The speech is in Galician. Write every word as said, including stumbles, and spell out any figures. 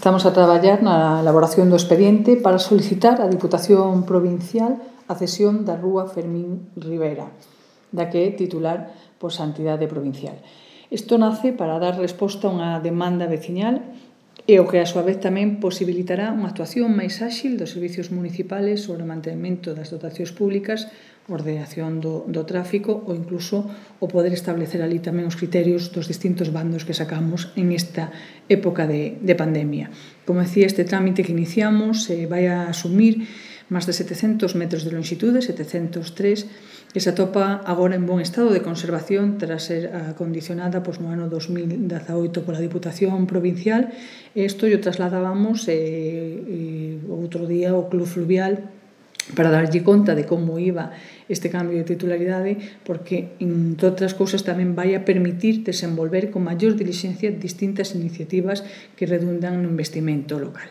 Estamos a traballar na elaboración do expediente para solicitar á Diputación Provincial a cesión da rúa Fermín Rivera, da que é titular por Santidade Provincial. Isto nace para dar resposta a unha demanda veciñal e o que a súa vez tamén posibilitará unha actuación máis áxil dos servicios municipales sobre o mantemento das dotacións públicas, ordenación do, do tráfico ou incluso o poder establecer ali tamén os criterios dos distintos bandos que sacamos en esta época de, de pandemia. Como decía, este trámite que iniciamos eh, vai a asumir máis de setecentos metros de longitude, setecentos tres, que se atopa agora en bon estado de conservación tras ser acondicionada pois, no ano dos mil dezaoito pola Diputación Provincial. Isto yo trasladábamos eh, eh, outro día ao Club Fluvial para darlle conta de como iba este cambio de titularidade, porque, entre outras cousas, tamén vai a permitir desenvolver con maior dilixencia distintas iniciativas que redundan no investimento local.